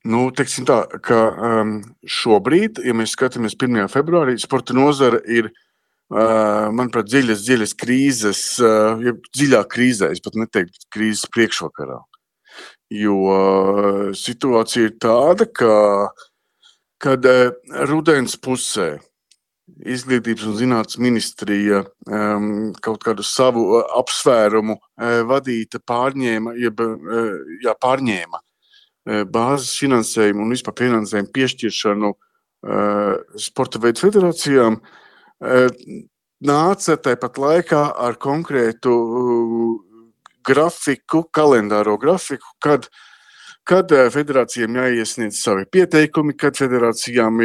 Teiksim tā, ka šobrīd, ja mēs skatāmies 1. februārī, sporta nozara ir, manuprāt, dziļas krīzes, dziļā krīzē, es pat neteiktu krīzes priekšvakarā. Jo situācija ir tāda, kad rudens pusē Izglītības un zinātnes ministrija kaut kādu savu apsvērumu vadīta pārņēma bāzes finansējumu un vispār finansējumu piešķiršanu sporta veidu federācijām, nāca tāpat laikā ar konkrētu grafiku, kalendāro grafiku, kad federācijām jāiesniedz savi pieteikumi, kad federācijām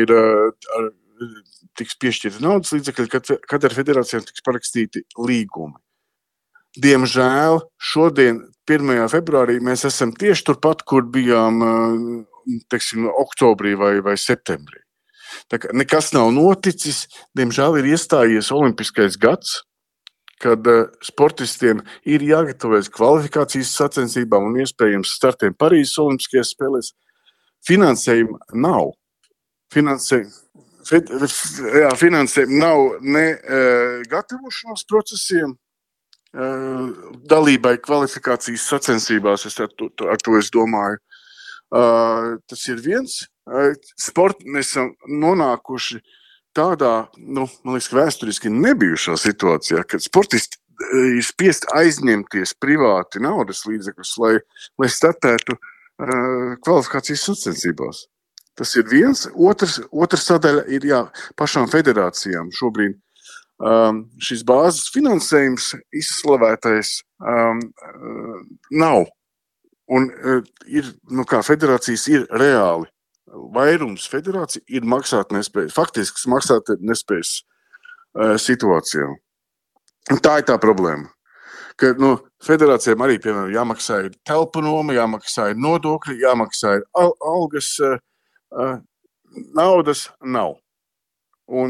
tiks piešķirti naudas līdzekļi, kad ar federācijām tiks parakstīti līgumi. Diemžēl šodien, 1. februārī, mēs esam tieši turpat, kur bijām, teiksim, oktobrī vai septembrī. Tā kā nekas nav noticis, diemžēl ir iestājies olimpiskais gads, kad sportistiem ir jāgatavojas kvalifikācijas sacensībām un iespējams startiem Parīzes olimpiskajās spēlēs. Finansējuma nav. Finansējuma nav ne gatavošanās procesiem, dalībai kvalifikācijas sacensībās, ar to es domāju. Tas ir viens. Mēs esam nonākuši tādā, man liekas, vēsturiski nebijušā situācijā, kad sportisti ir spiest aizņemties privāti naudas līdzekļus, lai startētu kvalifikācijas sacensībās. Tas ir viens. Otrs sadaļa ir pašām federācijām šobrīd. Šis bāzes finansējums izslavētais nav. Un federācijas ir reāli. Vairums federācija ir maksātnespējas, faktisks maksātnespējas situācijā. Un tā ir tā problēma. Ka federācijām arī, piemēram, jāmaksā ir telpu noma, jāmaksā ir nodokļi, jāmaksā ir algas, naudas nav. Un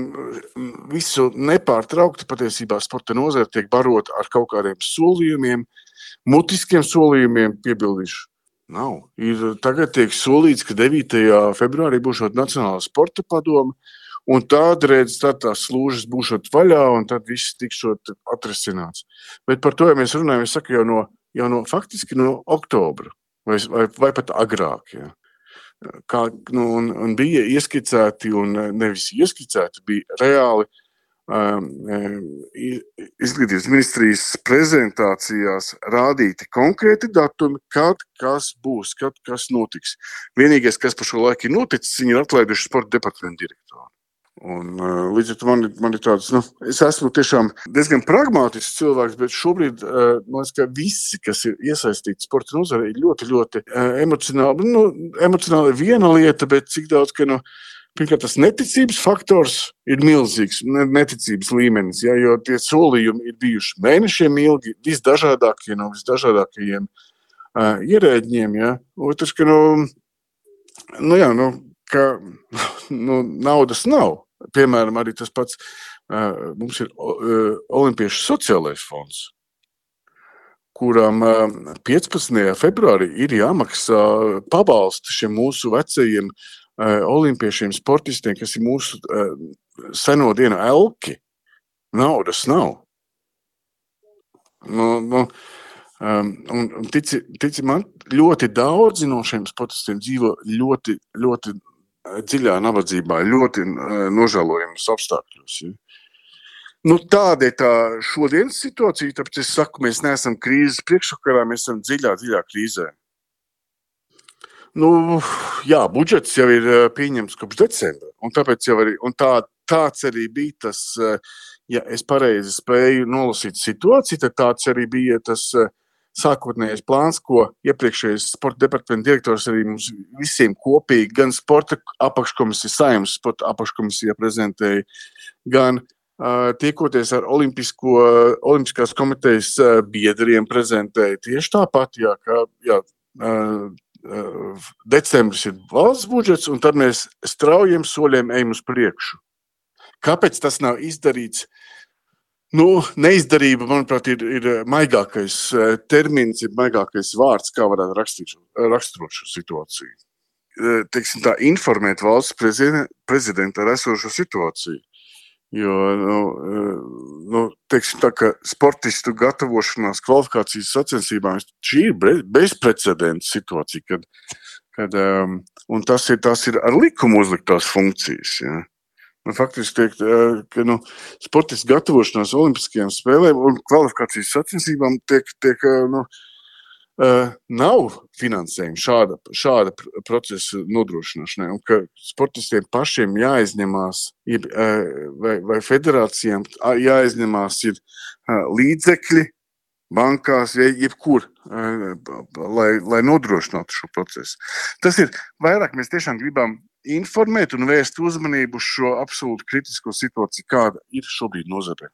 visu nepārtraukti patiesībā sporta nozare tiek barota ar kaut kādiem solījumiem, mutiskiem solījumiem, piebildīšu. Nav. Tagad tiek solīts, ka 9. februārī būšot Nacionālā sporta padome, un tādreiz tās slūžas būšot vaļā, un tad viss tikšot atrisināts. Bet par to, ja mēs runājam, es saku jau faktiski no oktobra, vai pat agrāk. Ja. Un bija ieskicēti, un nevis ieskicēti, bija reāli Izglītības ministrijas prezentācijās rādīti konkrēti datumi, kad kas būs, kad kas notiks. Vienīgais, kas par šo laiku ir noticis, viņi ir atlaiduši sporta departamentu direktoru. Un līdz ar to man ir tāds, es esmu tiešām diezgan pragmātisks cilvēks, bet šobrīd, man liekas, ka visi, kas ir iesaistīti sporta nozarē, ir ļoti, ļoti emocionāli. Emocionāli ir viena lieta, bet cik daudz, ka, pirmkārt, tas neticības faktors ir milzīgs, neticības līmenis, jo tie solījumi ir bijuši mēnešiem ilgi, visdažādākie no visdažādākajiem ierēģiem. Ja. Otrs, ka, naudas nav. Piemēram, arī tas pats, mums ir Olimpiešu sociālais fonds, kuram 15. februārī ir jāmaksā pabalsti šiem mūsu vecajiem olimpiešiem sportistiem, kas ir mūsu seno dienu elki. Naudas nav. Un tici man, ļoti daudzi no šiem sportistiem dzīvo ļoti, ļoti dziļā nabadzībā, ļoti nožēlojamos apstākļos. Ja. Tāda ir tā šodienas situācija, tāpēc es saku, mēs neesam krīzes priekšvakarā, mēs esam dziļā krīzē. Budžets jau ir pieņemts kopš decembra, un tāpēc jau arī, un tāds arī bija tas, ja es pareizi spēju nolasīt situāciju, tad tāds arī bija tas sākotnējais plāns, ko iepriekšējais sporta departamenta direktors arī mums visiem kopīgi, gan sporta apakškomisija, Saeimas sporta apakškomisija prezentēja, gan tiekoties ar Olimpiskās komitejas biedriem prezentēja tieši tāpat, decembris ir valsts budžets, un tad mēs straujiem soļiem ejam uz priekšu. Kāpēc tas nav izdarīts? Neizdarība, manuprāt, ir maigākais termins, ir maigākais vārds, kā varētu raksturot šo situāciju. teiksim tā, informēt valsts prezidentu ar esošo situāciju. Jo, teiksim tā, ka sportistu gatavošanās kvalifikācijas sacensībām šī ir bezprecedenta situācija, un tas ir ar likumu uzliktās funkcijas. Ja. Faktiski tiek, ka sportistu gatavošanās olimpiskajām spēlēm un kvalifikācijas sacensībām tiek nav finansējuma šāda procesa nodrošināšanai, un ka sportistiem pašiem jāizņemās, vai federācijām jāizņemās ir līdzekļi bankās, jebkur, lai nodrošinātu šo procesu. Tas ir vairāk, mēs tiešām gribam informēt un vērst uzmanību uz šo absolūti kritisko situāciju, kāda ir šobrīd nozarē.